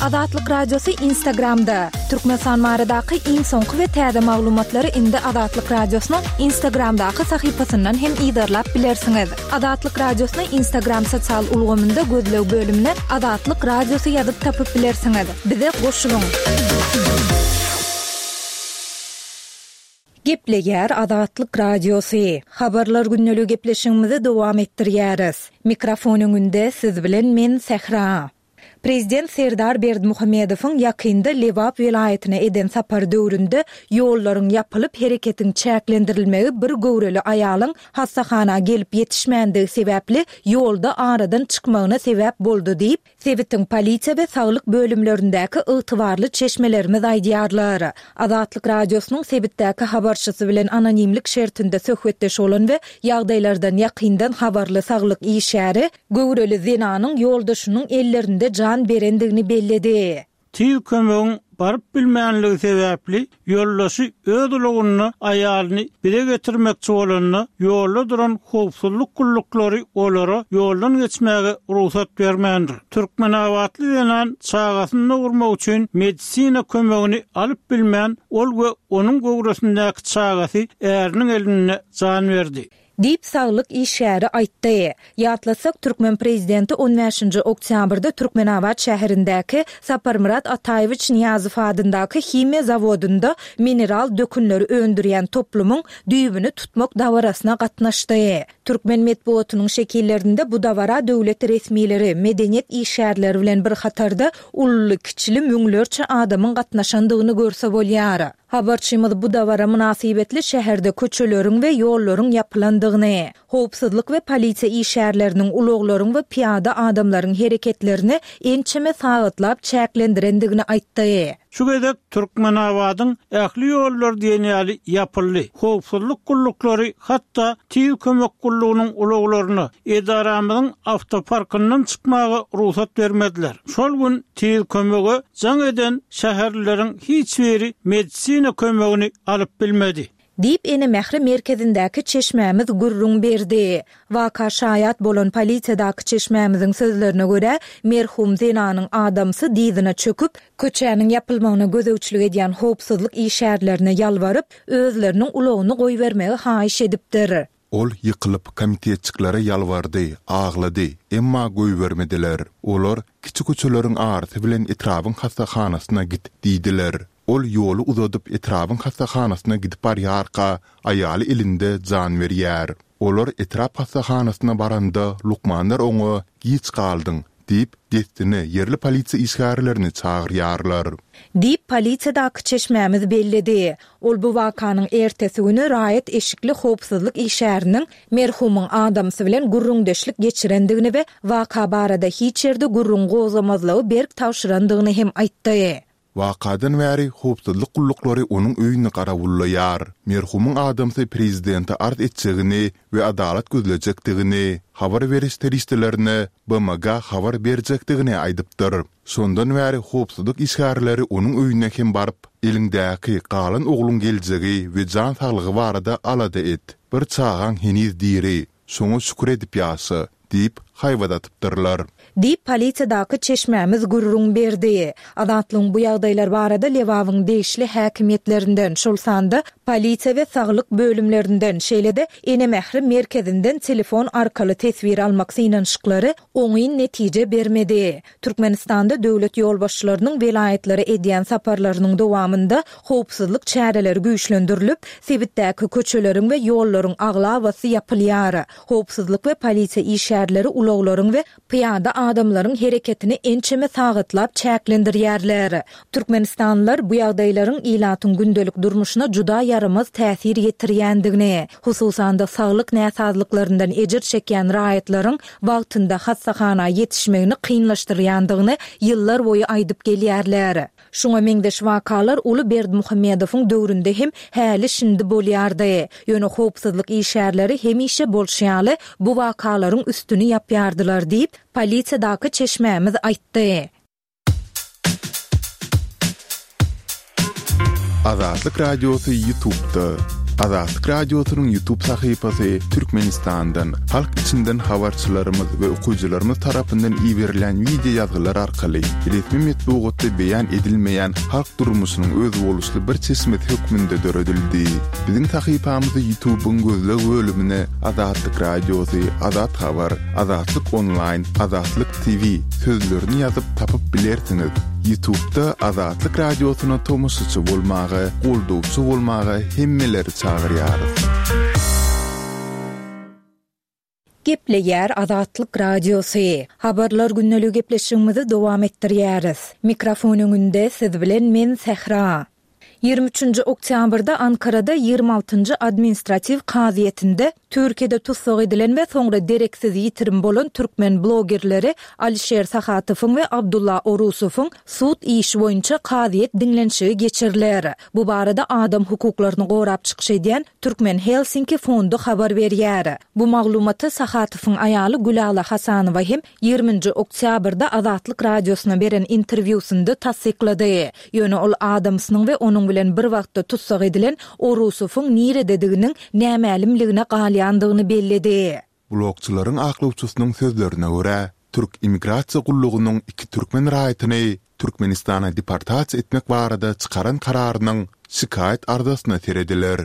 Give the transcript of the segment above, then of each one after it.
Azatlyk Radiosy Instagramda, Türkmenistan baradaky iň soňky we täze maglumatlary indi Azatlyk Radiosynyň Instagramdaky sahypasyndan hem yzarlap bilersiňiz. Azatlyk Radiosyny Instagram sosial ulgamynda gözleg bölümine Azatlyk Radiosy ýazyp tapyp bilersiňiz. Bize goşulyň! Gepleýär Azatlyk Radiosy. Habarlar gündeligi gepleşigimizi dowam etdirýäris. Mikrofon öňünde siz bilen men Sähra. Prezident Serdar Berdimuhamedowyň ýakynda Lebap welaýatyna eden sapary döwründe ýollaryň ýapylyp, hereketiň çäklendirilmegi bir göwreli aýalyň hassahana gelip ýetişmändigi sebäpli ýolda aradan çykmagyna sebäp boldy diýip, Sebitiň polisiýa we saglyk bölümlerindäki ygtybarly çeşmelerimiz aýdýarlar. Azatlyk Radiosynyň sebitdäki habarçysy bilen anonimlik şertinde söhbetdeş bolan we ýagdaýlardan ýakyndan habarly saglyk işgäri göwreli zenanyň ýoldaşynyň ellerinde jan berendigini belledi. Tiz kömegiň baryp bilmänligi sebäpli, ýoldaşy öz ulagynda aýalyny bize getirmekçi bolanda, ýolda duran howpsuzlyk gulluklary olara ýoldan geçmäge rugsat bermändir. Türkmenabatly zenan çagasyny dogurmak üçin medisina kömegini alyp bilmän, ol we onuň göwresindäki çagasy äriniň elinde jan berdi. Diýip, saglyk işgäri aýtdy. Ýatlatsak, türkmen prezidenti on bäşinji oktýabrda Türkmenabat şäherindäki Saparmyrat Ataýewiç Nyýazow adyndaky himiýa zawodynda mineral dökünleri öndürýän toplumyň düýbüni tutmak dabarasyna gatnaşdy. Türkmen metbugatynyň şekillerinde bu dabara döwlet resmileri, medeniýet işgärleri bilen bir hatarda ululy-kiçili müňlerçe adamyň gatnaşandygyny görse bolýar. Habarçymyz bu dabara mynasybetli şäherde köçeleriň we ýollaryň ýapylandygyny, howpsuzlyk we polisiýa işgärleriniň ulaglaryň we pyýada adamlaryň hereketlerini ençeme sagatlap çäklendirendigini aýtdy. Şu gezek Türkmenabadyň ähli ýollary diýen ýaly ýapyldy. Howpsuzlyk gulluklary hatda Tiz kömek gullugynyň ulaglaryna edaramyzyň awtoparkyndan çykmaga rugsat bermediler. Şol gün Tiz kömege jaň eden şäherlileriň hiç biri medisina kömegini alyp bilmedi. Diýip, Ene mähri merkezindäki çeşmämiz gürrüň berdi. Waka şaýat bolan polisiýadaky çeşmämiziň sözlerine görä, merhum zenanyň adamsy dyzyna çöküp, köçäniň ýapylmagyna gözegçilik edýän howpsuzlyk işgärlerine ýalbaryp, özleriniň ulagyny goýbermegi haýyş edipdir. Ol ýykylyp, komitetçiklere ýalbardy, aglady, emma goýbermediler. Olar, Kiçi köçeleriň arasy bilen etrabyň hassahanasyna git diýdiler. Ol ýoly uzadyp etrabyň hassahanasyna gidip barýarka, aýaly elinde jan berýär. Olar etrap hassahanasyna baranda, lukmanlar oňa, Giç galdyň, diýip, dessine ýerli polisiýa işgärlerini çagyrýarlar. Diýip, polisiýadaky çeşmämiz belledi. Ol bu wakanyň ertesi güni raýat eşikli howpsuzlyk işgäriniň merhumyň adamsy bilen gürrüňdeşlik geçirendigini we waka barada hiç ýerde gürrüň gozgamazlygy berk tabşyrandygyny hem aýtdy. Wakadan bäri howpsuzlyk gulluklary onuň öýüni garawullaýar. Merhumyň adamsy prezidente arz etjegini we adalat gözlejekdigini, habar beriş serişdelerine, BMG habar berjekdigini aýdypdyr. Şondan bäri howpsuzlyk işgärleri onuň öýüne hem baryp, Eliňdäki galan ogluň geljegi we jan saglygy barada alada et. Bir çagaň heniz diri, şoňa şükür edip ýaşa. Diýip, haýbat atypdyrlar. Diýip, polisiýadaky çeşmämiz gürrüň berdi. Azatlygyň bu ýagdaýlar barada Lebabyň degişli häkimiýetlerinden, şol sanda polisiýa we saglyk bölümlerinden, şeýle-de Ene mähri merkezinden telefon arkaly teswir almak synanyşyklary oňyn netije bermedi. Türkmenistanda döwlet ýolbaşçylarynyň welaýatlara edýän saparlarynyň dowamynda howpsuzlyk çäreleri güýçlendirilip, sebitdäki köçeleriň we ýollaryň aglabasy ýapylýar. Howpsuzlyk we polisiýa işgärleri ulaglaryň we pyýada adamlaryň hereketini ençeme sagatlap çäklendirýärler. Türkmenistanlylar bu ýagdaýlaryň ilatyň gündelik durmuşyna juda ýaramaz täsir ýetirýändigini, hususan-da saglyk näsazlyklaryndan ejir çekýän raýatlaryň wagtynda hassahana ýetişmegini kynlaşdyrýandygyny ýyllar boýy aýdyp gelýärler. Şuňa meňzeş wakalar uly Berdimuhamedowyň döwründe hem häli-şindi bolýardy. Ýöne howpsuzlyk işgärleri hemişe bolşy ýaly bu wakalaryň üstüni ýapýardylar diýip, polisiýadaky çeşmämiz aýtdy. Azatlyk Radiosy YouTube'da. Azatlyk Radiosynyň YouTube sahypasy Türkmenistandan, halk içinden habarçylarymyz we okyjylarymyz tarapyndan iberilýän wideo ýazgylar arkaly resmi metbugatda beýan edilmeýän halk durmuşynyň özboluşly bir çeşmesi hökmünde döredildi. Biziň sahypamyzy YouTube-yň gözleg bölümine Azatlyk Radiosy, Azat Habar, Azatlyk Onlaýn, Azatlyk TV sözlerini ýazyp tapyp bilersiňiz. Ýutubda Azatlyk Radiosyna tomaşaçy bolmaga, goldawçy bolmaga hemmeleri çagyrýarys. Gepleýär Azatlyk Radiosy. Habarlar gündeligi gepleşigimizi dowam etdirýäris. Mikrofon öňünde siz bilen men Sähra. 23-nji oktýabrda Ankarada 26-njy administratiw kazyýetinde Türkiýede tussag edilen we soňra dereksiz ýitirim bolan türkmen blogerleri Alişer Sahatowyň we Abdulla Orusowyň sud işi boýunça kazyýet diňlenişigi geçiriler. Bu barada adam hukuklaryny gorap çykyş edýän Türkmen Helsinki fondy habar berýär. Bu maglumaty Sahatowyň aýaly Gülala Hasanowa hem 20-nji oktýabrda Azatlyk Radiosyna beren interwýusynda tassyklady. Ýöne ol adamsynyň we onuň bilen bir wagtda tussag edilen Orusowyň niredediginiň nämälimligine galýandygyny belledi. Blogçylaryň aklawçysynyň sözlerine görä, türk immigrasiýa gullugynyň iki türkmen raýatyny Türkmenistana deportasiýa etmek barada çykaran kararynyň şikaýat arzasyna serediler.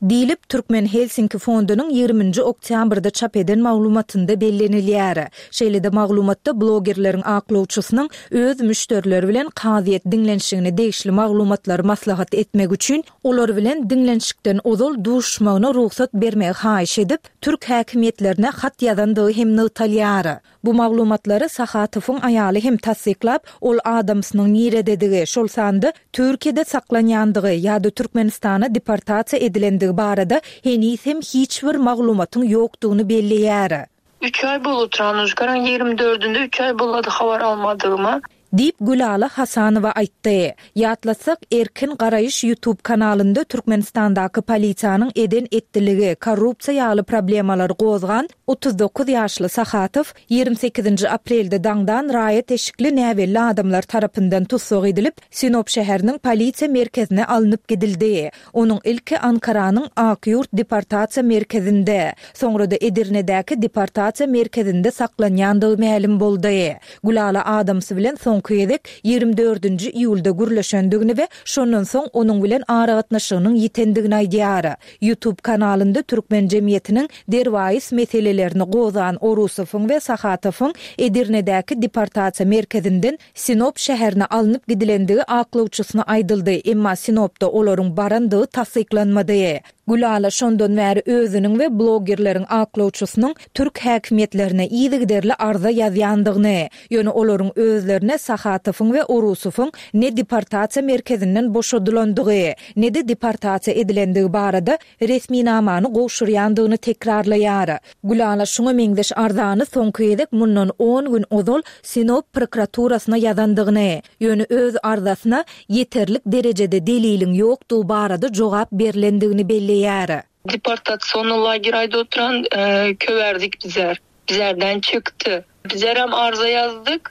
Diýlip, Türkmen Helsinki fondunyň ýigriminji oktýabrda çap eden maglumatynda bellenilýär. Şeýle-de maglumatda blogerleriň aklawçysynyň öz müşderileri bilen kazyýet diňlenişigine degişli maglumatlary maslahat etmek üçin olar bilen diňlenişikden ozal duşuşmagyna rugsat bermegi haýyş edip, türk häkimiýetlerine hat ýazandygy hem nygtalýar. Bu maglumatlary Sahatowyň aýaly hem tassyklap, ol adamsynyň nirededigi, şol sanda Türkiýede saklanýandygy ýa-da Türkmenistana deportasiýa edilendigi barada heniz hem hiç bir maglumatyň ýokdugyny belleýär. Üç aý bolup Tranuşkanyň ýigrimi dördünde üç aý bolady habar almadygyma. Diýip, Gülala Hasanowa aýtdy. Ýatlatsak, Erkin garaýyş YouTube kanalynda Türkmenistandaky polisiýanyň eden-etdiligi, korrupsiýa ýaly problemalary gozgan 39 ýaşly Sahatow 28-nji aprelde daňdan raýat eşikli näbelli adamlar tarapyndan tussag edilip, Sinop şäheriniň polisiýa merkezine alnyp gidildi. Onuň ilki Ankaranyň Ak Ýurt deportasiýa merkezinde, soňra-da Edirnedäki deportasiýa merkezinde saklanýandygy mälim boldy. Gülala adamsy bilen soňky gezek ýigrimi dördünji iýulda gürleşendigini we şondan soň onuň bilen aragatnaşygynyň ýitendigini aýdýar. YouTube kanalynda türkmen jemgyýetiniň derwaýys meselelerini gozgan Orusowyň we Sahatowyň Edirnedäki deportasiýa merkezinden Sinop şäherine alnyp gidilendigi aklawçysyna aýdyldy, emma Sinopda olaryň barandygy tassyklanmady. Gülala şondan bäri özüniň we blogerleriň aklawçysynyň türk häkimiýetlerine yzygiderli arza ýazýandygyny, ýöne olaryň özlerine Sahatowyň we Orusowyň ne deportasiýa merkezinden boşadylandygy, ne-de deportasiýa edilendigi barada resminamany gowşurýandygyny tekrarlaýar. Gülala şuňa meňzeş arzany soňky gezek mundan on gün ozal Sinop prokuraturasyna ýazandygyny, ýöne öz arzasyna ýeterlik derejede deliliň ýokdugy barada jogap berlendigini belleýär. Deportasionny lager aýda oturan köwärdik bizer. Bizerden çykdy. Bizerem arza ýazdyk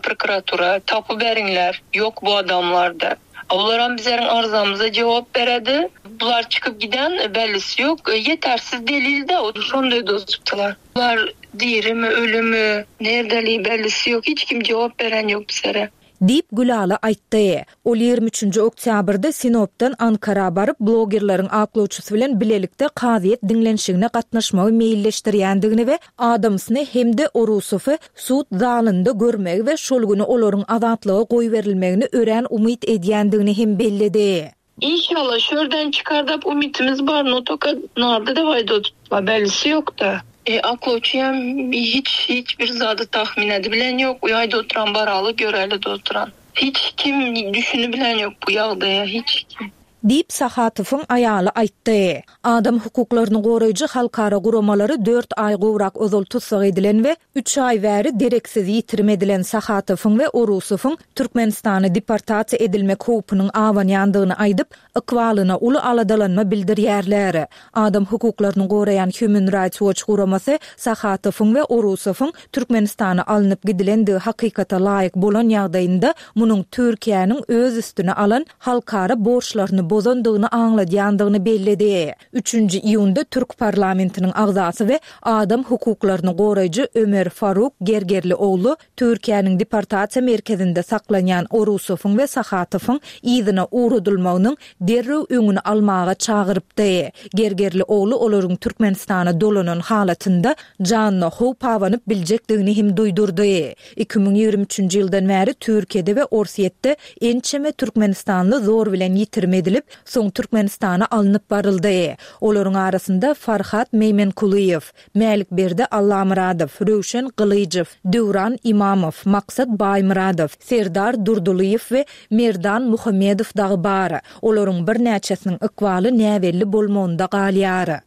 prokuratura, tapy beriňler, ýok bu adamlarda. Olaram bizeriň arzamyza jogap beredi. Bular çykyp giden bellisi ýok. Ýetersiz delil-de şonda dozupdylar. Bular dirimi, ölümi, nerdeli bellisi ýok. Hiç kim jogap beren ýok bizere. Diýip, Gülala aýtdy. Ol 23-nji oktýabrda Sinopdan Ankara baryp, blogerleriň aklawçysy bilen bilelikde kazyýet diňlenişigine gatnaşmagy meýilleşdirýändigini we adamsyny hem-de Orusowy sud zalynda görmegi we şol güni olaryň azatlyga goýberilmegini örän umyt edýändigini hem belledi. Inşallah şörden çykar dap umytymyz bar no toka narda da waýdot bellisi ýokda. E aklawçyam hiç hiç bir zady tahmin edibilen ýok uýaýda oturan baraly göreli de oturan. Hiç kim düşünibilen ýok bu ýagdaýa hiç kim. Diýip, Sahatowyň aýaly aýtdy. Adam hukuklaryny goraýjy halkara guramalary dört aý gowrak ozal tussag edilen we üç aý bäri dereksiz ýitirim edilen Sahatowyň we Orusowyň Türkmenistana deportasiýa edilmek howpunyň abanýandygyny aýdyp, ykbalyna uly aladalanma bildirýärler. Adam hukuklaryny goraýan Human Rights Watch guramasy Sahatowyň we Orusowyň Türkmenistana alnyp gidilendigi hakykata laýyk bolan ýagdaýynda, munuň Türkiýäniň öz üstüne alan halkara borçlaryny bozandygyny aňladýandygyny belledi. Üçünji iýunda türk parlamentiniň agzasy we adam hukuklaryny goraýjy Ömer Faruk Gergerlioglu Türkiýäniň deportasiýa merkezinde saklanýan Orusowyň we Sahatowyň yzyna ugradylmagynyň derrew öňüni almaga çagyrypdy. Gergerlioglu olaryň Türkmenistana dolanan halatynda janyna howp abanyp biljekdigini hem duýdurdy. 2023-nji ýyldan bäri Türkiýede we Orsýetde ençeme türkmenistanly zor bilen ýitirim edilip, soň Türkmenistana alnyp baryldy. Olaryň arasynda Farhat Meýmenkulyýew, Mälikberdi Allamyradow, Röwşen Gylyjow, Döwran Imamow, Maksat Baýmyradow, Serdar Durdylyýew we Merdan Muhammedow dagy bar. Olaryň birnäçesiniň ykbaly näbelli bolmagynda galýar.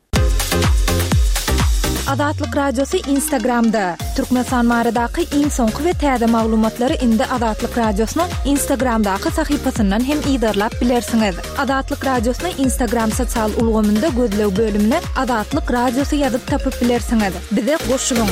Azatlyk Radiosy Instagramda, Türkmenistan baradaky iň soňky we täze maglumatlary indi Azatlyk Radiosynyň Instagramdaky sahypasyndan hem yzarlap bilersiňiz. Azatlyk Radiosyny Instagram sosial ulgamynda gözleg bölümine Azatlyk Radiosy ýazyp tapyp bilersiňiz. Bize goşulyň!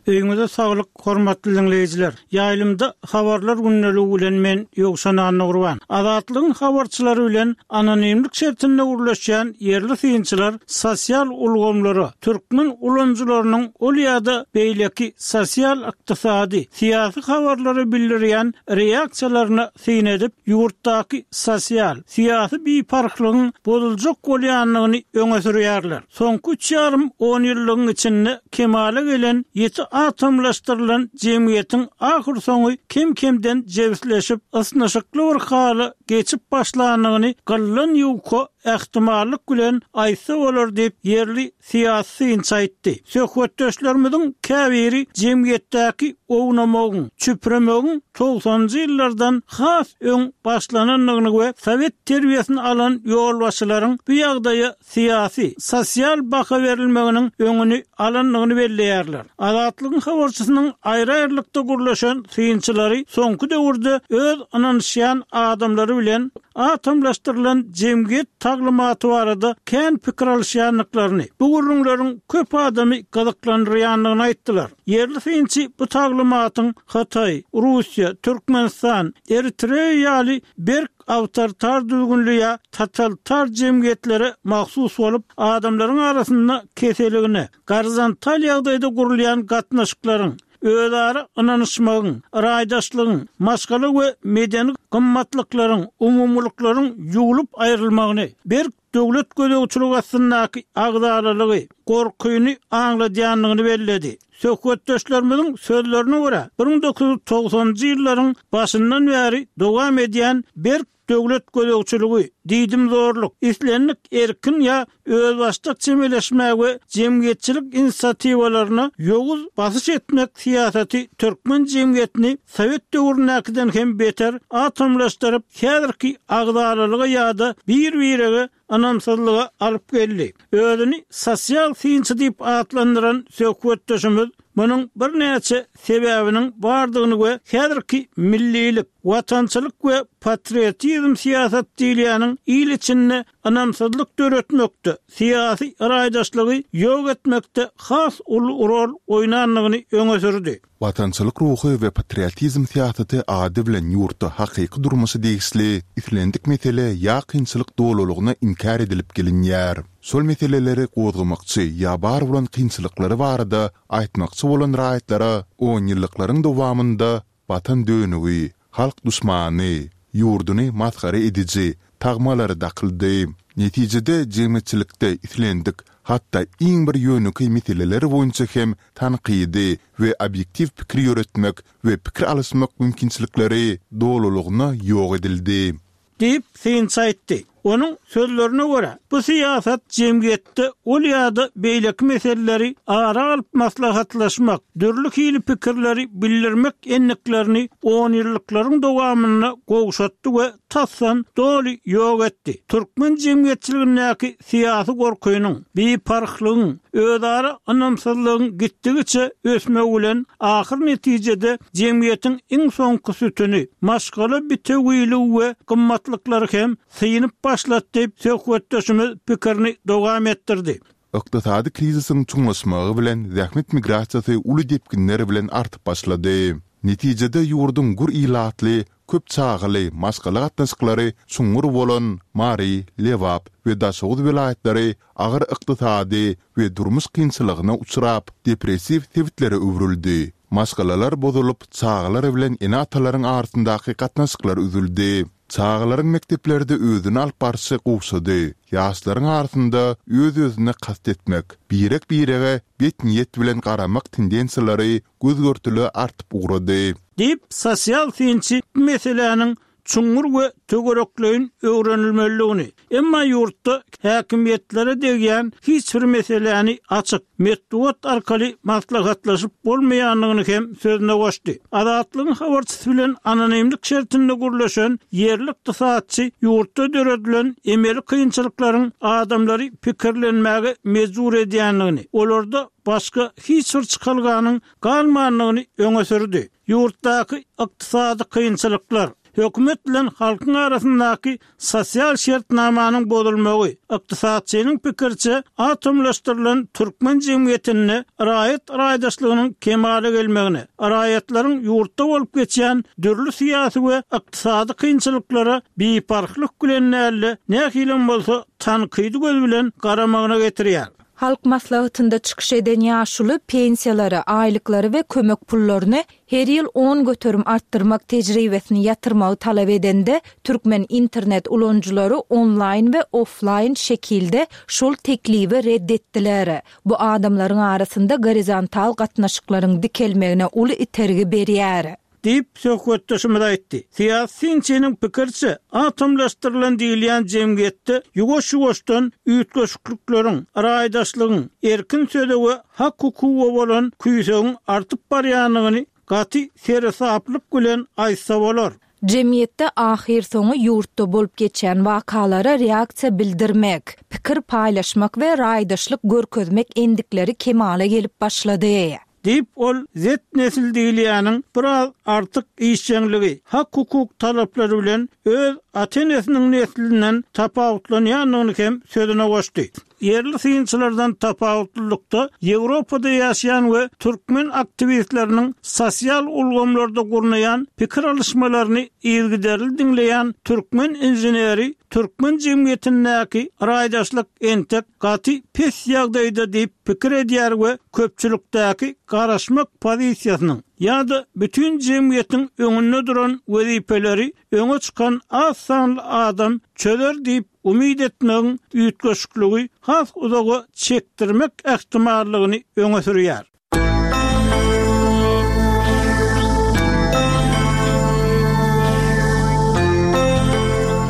Öýüňize saglyk hormatly diňleýjiler! Ýaýlymda Habarlar gündeligi bilen men Ýowşan Annagurban. Azatlygyň habarçylary bilen anonimlik şertinde gürleşýän ýerli synçylar sosial ulgamlara türkmen ulanyjylarynyň ol ýa-da beýleki sosial-ykdysady, syýasy habarlara bildirýän reaksiýalaryna syn edip, ýurtdaky sosial, syýasy biparhlygyň bozuljak bolýandygyny öňe sürýärler. Soňky üç ýarym onýyllygyň içinde kemala gelen ýiti atomlaşdyrylan jemgyýetiň ahyrsoňy kem-kemden jebisleşip, ysnyşykly bir hala geçip başlandygyny gyldan ýuka ähtimallyk bilen aýtsa bolar diýip, ýerli syýasy synçy aýtdy. Söhbetdeşlerimiziň käbiri jemgyýetdäki ownamagyň, çüpremegiň togsanynjy ýyllardan has öň başlanandygyny we sowet terbiýesini alan ýolbaşçylaryň bu ýagdaýa syýasy, sosial baha berilmeginiň öňüni alandygyny belleýärler. Azatlygyň habarçysynyň aýry-aýrylykda gürleşen synçylary soňky döwürde öz ynanyşýan adamlary bilen atomlaşdyrylan jemgyýet taglymaty barada kän pikir alyşýandyklaryny, bu gürrüňleriň köp adamy gyzyklandyrýandygyny aýtdylar. Ýerli synçy bu taglymatyň Hytaý, Russiýa, Türkmenistan, Eritreýa ýaly berk awtoritar düzgünli ýa totalitar jemgyýetlere mahsus bolup, adamlaryň arasynda keseligine, gorizontal ýagdaýda gurulýan gatnaşyklaryň, özara ynanyşmagyň, raýdaşlygyň, maşgala we medeni gymmatlyklaryň, umumylyklaryň ýuwlup aýrylmagyny, berk döwlet gözegçiligi astyndaky agzalalygy, gorkyny aňladýandygyny belledi. Söhbetdeşlerimiziň sözlerine görä, 1990-njy ýyllaryň başyndan bäri dowam edýän berk döwlet gözegçiligi, diýdimzorluk, islendik erkin ýa özbaşdak çemeleşmä we jemgyýetçilik inisiatiwalaryna ýowuz basyş etmek syýasaty türkmen jemgyýetini sowet döwründäkiden hem beter atomlaşdyryp, häzirki agzalalyga ýa-da bir-birege ynamsyzlyga alyp geldi. Özüni sosial synçy diýip atlandyran söhbetdeşimiz munuň birnäçe sebäbiniň bardygyny we häzirki millilik, watançylyk we patriotizm syýasat diýilýäniň il içinde ynamsyzlyk döretmekde, syýasy raýdaşlygy ýok etmekde has uly rol oýnandygyny öňe sürdi. Watançylyk ruhy we patriotizm syýasaty ady bilen ýurtda hakyky durmuşa degişli islendik mesele ýa kynçylyk dolulygyna inkär edilip gelinýär. Şol meseleleri gozgamakçy ýa bar bolan kynçylyklary barada aýtmakçy bolan raýatlara onýyllyklaryň dowamynda Watan dönügi, halk duşmany, ýurduny masgara ediji tagmalary dakyldy. Netijede jemgyýetçilikde islendik, hatda iň bir ýönekeý meseleler boýunça hem tankydy we obýektiw pikir ýöretmek we pikir alyşmak mümkinçilikleri dolulygyna ýok edildi. Diýip, synçy aýtdy. Onuň sözlerine görä, bu syýasat jemgyýetde ol ýa-da beýleki meseleleri ara alyp maslahatlaşmak, dürli hili pikirleri bildirmek endiklerini onýyllyklaryň dowamynda gowşatdy we tasdan doly ýok etdi. Türkmen jemgyýetçiligindäki syýasy gorkynyň, biparhlygyň, özara ynamsyzlygyň gitdigiçe ösmegi bilen ahyr netijede jemgyýetiň iň soňky sütüni, maşgala bitewiligi we gymmatlyklary hem synyp başlady diýip, söhbetdeşimiz pikirini dowam etdirdi. Ykdysady krizisiň çuňlaşmagy bilen zähmet migrasiýasy uly depginler bilen artyp başlady. Netijede ýurduň gür ilatly, köp çagaly maşgala gatnaşyklary çuňňur bolan Mary, Lebap we Daşoguz welaýatlary agyr ykdysady we durmuş kynçylygyna uçrap, depressiw sebitlere öwrüldi. Maşgalalar bozulyp, çagalar bilen ene-atalaryň arasyndaky gatnaşyklar üzüldi. Çagalaryň mekdeplerde özüni alyp barşy gowşady. Ýaşlaryň arasynda öz-özüne kast etmek, birek-birege bet niýet bilen garamak tendensiýalary göz-görtele artyp ugrady. Diýip, sosial synçy bu meseläniň çuňňur we töwerekleýin öwrenilmelidigini, emma ýurtda häkimiýetlere degýän hiç bir meseläni açyk, metbugat arkaly maslahatlaşyp bolmaýandygyny hem sözüne goşdy. Azatlygyň habarçysy bilen anonimlik şertinde gürleşen ýerli ykdysatçy ýurtda döredilen emeli kynçylyklaryň adamlary pikirlenmäge mejbur edýändigini, olarda başga hiç bir çykalganyň galmandygyny öňe sürdi. Ýurtdaky ykdysady kynçylyklar, hökümet bilen halkyň arasyndaky sosial şertnamanyň bozulmagy, ykdysatçynyň pikiriçe, atomlaşdyrylan türkmen jemgyýetinde raýat raýdaşlygynyň kemala gelmegine, raýatlaryň ýurtda bolup geçýän dürli syýasy we ykdysady kynçylyklara biparhlyk bilen däl-de, nähilem bolsa tankydy göz bilen garamagyna getirýär. Halk Maslahatynda çykyş eden ýaşuly pensiýalary, aýlyklary we kömek pullaryny her ýyl 10% artdyrmak tejribesini ýatyrmagy talap edende, türkmen internet ulanyjylary onlaýn we oflaýn şekilde şol teklibi red etdiler. Bu adamlaryň arasynda gorizontal gatnaşyklaryň dikelmegine uly itergi berýär. Diýip, söhbetdeşimiz aýtdy. Syýasy synçynyň pikiriçe, atomlaşdyrylan diýilýän jemgyýetde ýuwaş-ýuwaşdan üýtgeşiklikleriň, raýdaşlygyň, erkin söze we hak-hukuga bolan küýsegiň artyp barýandygyny gaty seresaplyk bilen aýtsa bolar. Jemgyýetde ahyrsoňy ýurtda bolup geçýän wakalara reaksiýa bildirmek, pikir paýlaşmak we raýdaşlyk görkezmek endikleri kemala gelip başlady. Diýip, ol Z-nesil diýilýäniň biraz artyk işjeňligi, hak-hukuk talaplary bilen öz ata-enesiniň neslinden tapawutlanýandygyny hem sözüne goşdy. Ýerli synçylardan tapawutlylykda, Ýewropada ýaşaýan we türkmen aktiwistleriniň sosial ulgamlarda gurnaýan pikir alyşmalaryny yzygiderli diňleýän türkmen inženeri türkmen jemgyýetindäki raýdaşlyk entek gaty pes ýagdaýda diýip pikir edýär we köpçülikdäki garaşmak pozisiýasynyň ýa-da bütin jemgyýetiň öňünde duran wezipeleri öňe çykan az sanly adam çözer diýip umyt etmegiň üýtgeşikligi has uzaga çekdirmek ähtimallygyny öňe sürýär.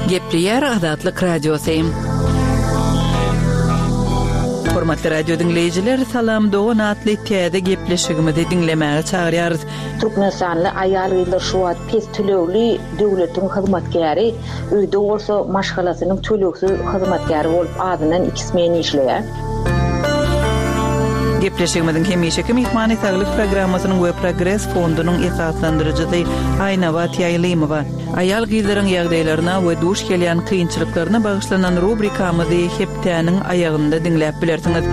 Gepleýär Azatlyk Radiosy. Hormatly radio diňleýjiler, Salam dogan atly täze gepleşigimizi diňlemäge çagyrýarys. Türkmenistanly aýal-gyzlar şu wagt pes tölegli döwletiň hyzmatkäri, öýde bolsa maşgalasynyň tölegsiz hyzmatkäri bolup azyndan iki smen işleýär. Gepleşigimiziň hemişeki myhmany Saglyk programmasynyň we Progres fondunyň esaslandyryjysy Aýnabat Ýaýlymowa. Aýal-gyzlaryň ýagdaýlaryna we duş gelýän kynçylyklaryna bagyşlanan rubrikamyzy hepdäniň aýagynda diňläp bilersiňiz.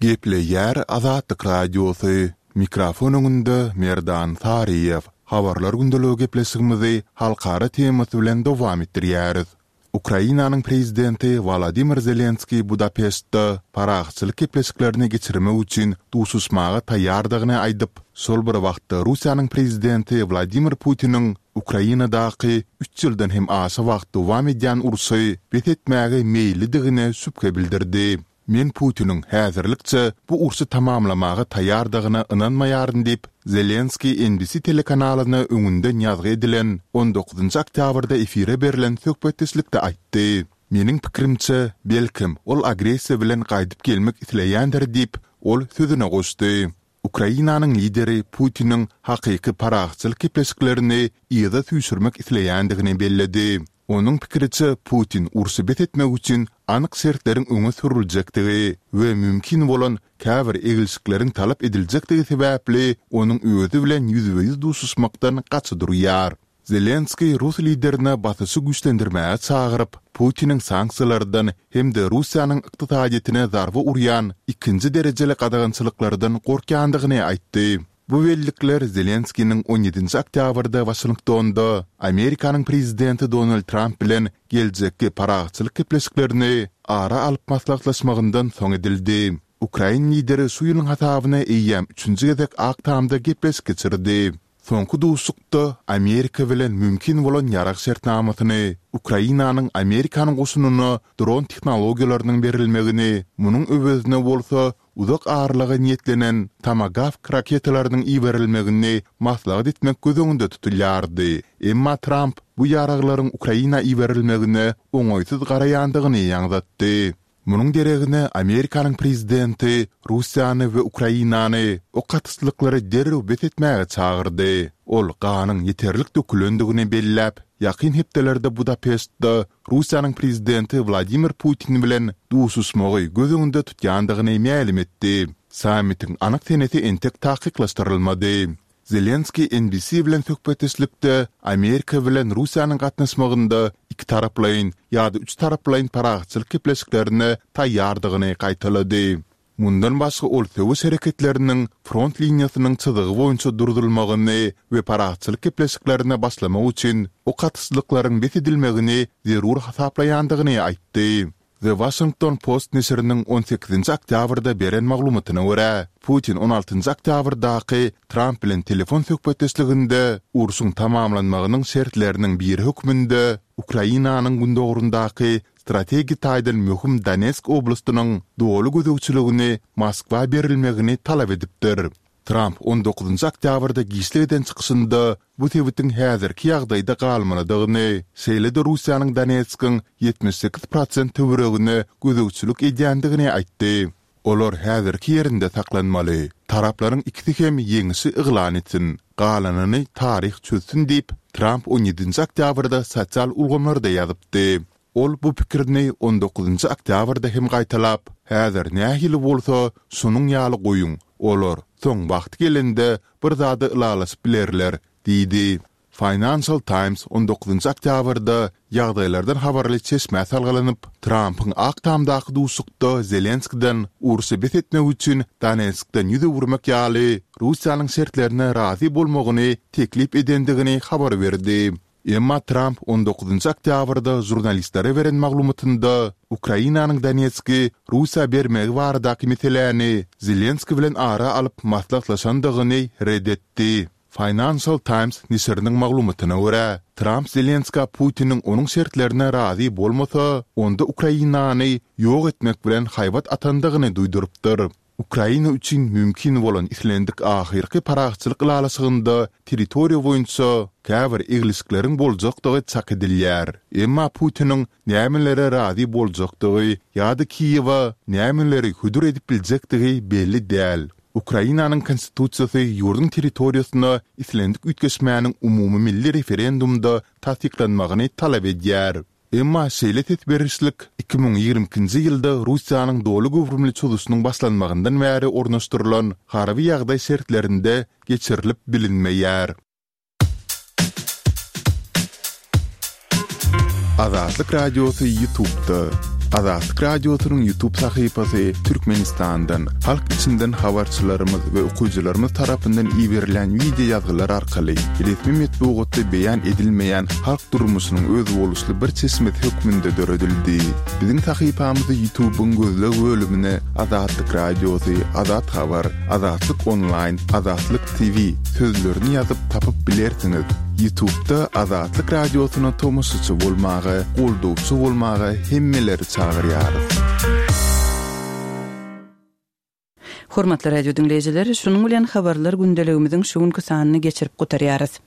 Gepleýär Azatlyk Radiosy, Mikrofon öňünde Merdan Saryýew. Habarlar gündeligi gepleşigimizi halkara temasy bilen dowam etdirýäris. Ukrainanyň prezidenti Wolodymyr Zelenskiý Budapeştde parahatçylyk gepleşiklerini geçirmek üçin duşuşmaga taýýardygyny aýdyp, şol bir wagtda Russiýanyň prezidenti Wladimir Putiniň Ukrainadaky üç ýyldan hem aşa wagt dowam edýän urşy bes etmäge meýillidigine şübhe bildirdi. Men Putiniň häzirlikçe bu urşy tamamlamaga taýýardygyna ynanmaýaryn diýip, Zelenskiý NBC telekanalyna öňünden ýazgy edilen on dokuzynjy oktýabrda efire berlen söhbetdeşlikde aýtdy. Meniň pikirimçe, belkem, ol agressiýa bilen gaýdyp gelmek isleýändir diýip, ol sözüne goşdy. Ukrainanyň lideri Putiniň hakyky parahatçylyk gepleşiklerini yza süýşürmek isleýändigini belledi. Onuň pikiriçe, Putin urşy bes etmek üçin anyk şertleriň öňe sürüljekdigi we mümkin bolan käbir eglişikleriň talap ediljekdigi sebäpli onuň özi bilen ýüzbe-ýüz duşuşmakdan gaça durýar. Zelenskiý rus liderine basyşy güýçlendirmäge çagyryp, Putiniň sanksiýalardan hem-de Russiýanyň ykdysadyýetine zarba urýan ikinji derejeli gadagançylyklardan gorkýandygyny aýtdy. Bu bellikler Zelenskiniň on ýedinji oktýabrda Waşingtonda Amerikanyň prezidenti Donald Tramp bilen geljekki parahatçylyk gepleşiklerini ara alyp maslahatlaşmagyndan soň edildi. Ukrain lideri şu ýylyň hasabyna eýýäm üçünji gezek Ak Tamda gepleşik geçirdi. Soňky duşuşykda Amerika bilen mümkin bolan ýarag şertnamasyny, Ukrainanyň Amerikan goşunyna dron tehnologiýalarynyň berilmegini, munuň öwezine bolsa uzak aralyga niýetlenen Tomagawk raketalarynyň iberilmegini maslahat etmek göz öňünde tutulýardy. Emma Tramp bu ýaraglaryň Ukraina iberilmegine oňaýsyz garaýandygyny ýaňzatdy. Munuň deregine Amerikanyň prezidenti Russiýany we Ukrainany ok atyşlyklary derrew bes etmäge çagyrdy. Ol ganyň ýeterlik dökülendigini belläp, ýakyn hepdelerde Budapeştde Russiýanyň prezidenti Wladimir Putin bilen duşuşmagy göz öňünde tutýandygyny mälim etdi. Sammitiň anyk senesi entek takyklaşdyrylmady. Zelenskiý NBC bilen söhbetdeşlikde Amerika bilen Russiýanyň gatnaşmagynda ikitaraplaýyn ýa-da üçtaraplaýyn parahatçylyk gepleşiklerine taýýardygyny gaýtalady. Mundan başga ol söweş hereketleriniň front liniýasynyň çyzygy boýunça durzulmagyny we parahatçylyk gepleşiklerine başlamak üçin ok atyşlyklaryň bes edilmegini zerur hasaplaýandygyny aýtdy. The Washington Post neşiriniň on sekizinji oktýabrda beren maglumatyna görä, Putin on altynjy oktýabrdaky Tramp bilen telefon söhbetdeşliginde urşuň tamamlanmagynyň şertleriniň biri hökmünde Ukrainanyň gündogaryndaky strategik taýdan möhüm Donetsk oblastynyň doly gözegçiligini Moskwa berilmegini talap edipdir. Tramp on dokuzynjy oktýabrda giçlik eden çykyşynda bu sebitiň häzirki ýagdaýda galmalydygyny, şeýle-de Russiýanyň Donetskiň 78 prosent töweregine gözegçilik edýändigini aýtdy. Olar häzirki ýerinde saklanmaly. Taraplaryň ikisi hem ýeňişi yglan etsin. Galanyny taryh çözsün diýip, Tramp on ýedinji oktýabrda sosial ulgamlarda ýazypdy. Ol bu pikirini on dokuzynjy oktýabrda hem gaýtalap, Häzir nähili bolsa, şonuň ýaly goýuň, olar soň wagty gelende bir zada ylalaşyp bilerler diýdi. Financial Times on dokuzynjy oktýabrda ýagdaýlardan habarly çeşmä salgylanyp, Trampyň Ak Tamdaky duşuşykda Zelenskiden urşy bes etmek üçin Donetskden ýüz öwürmek ýaly Russiýanyň şertlerine razy bolmagyny teklip edendigini habar berdi. Emma Tramp on dokuzynjy oktýabrda žurnalistlere beren maglumatynda Ukrainanyň Donetski Russiýa bermegi baradaky meseläni Zelenskiý bilen ara alyp maslahatlaşandygyny ret etdi. Financial Times neşiriniň maglumatyna görä, Tramp Zelenskä Putiniň onuň şertlerine razy bolmasa, onda Ukrainany ýok etmek bilen haýbat atandygyny duýdurypdyr. Ukraina üçin mümkin bolan islendik ahyrky parahatçylyk ylalaşygynda territoriýa boýunça käbir eglişikleriň boljakdygy çak edilýär. Emma Putiniň nämelere razy boljakdygy ýa-da Kiýewe nämeleri hödür edip biljekdigi belli däl. Ukrainanyň konstitusiýasy ýurduň territoriýasyna islendik üýtgeşmäniň umumymilli referendumda tassyklanmagyny talap edýär. Emma şeýle ses berişlik 2022-nji ýylda Russiýanyň doly göwrümli çozuşynyň başlanmagyndan bäri ornaşdyrylan harby ýagdaý şertlerinde geçirilip bilinmeýär. Azatlyk Radiosy YouTube'da. Azatlyk Radiosynyň YouTube sahypasy Türkmenistandan, halk içinden habarçylarymyz we okyjylarymyz tarapyndan iberilen wideo ýazgylar arkaly resmi metbugatda beýan edilmeýän halk durmuşynyň özboluşly bir çeşmesi hökmünde döredildi. Biziň sahypamyzy YouTube-yň gözleg bölümine Azatlyk Radiosy, Azat Habar, Azatlyk Onlaýn, Azatlyk TV sözlerini ýazyp tapyp bilersiňiz. YouTube-da Azatlyk Radiosyna tomaşaçy bolmaga, goldawçy bolmaga hemmeleri çagyrýarys. Hormatly radio diňleýjiler, şunuň bilen Habarlar gündeligimiziň şu günki sanyny geçirip gutarýarys.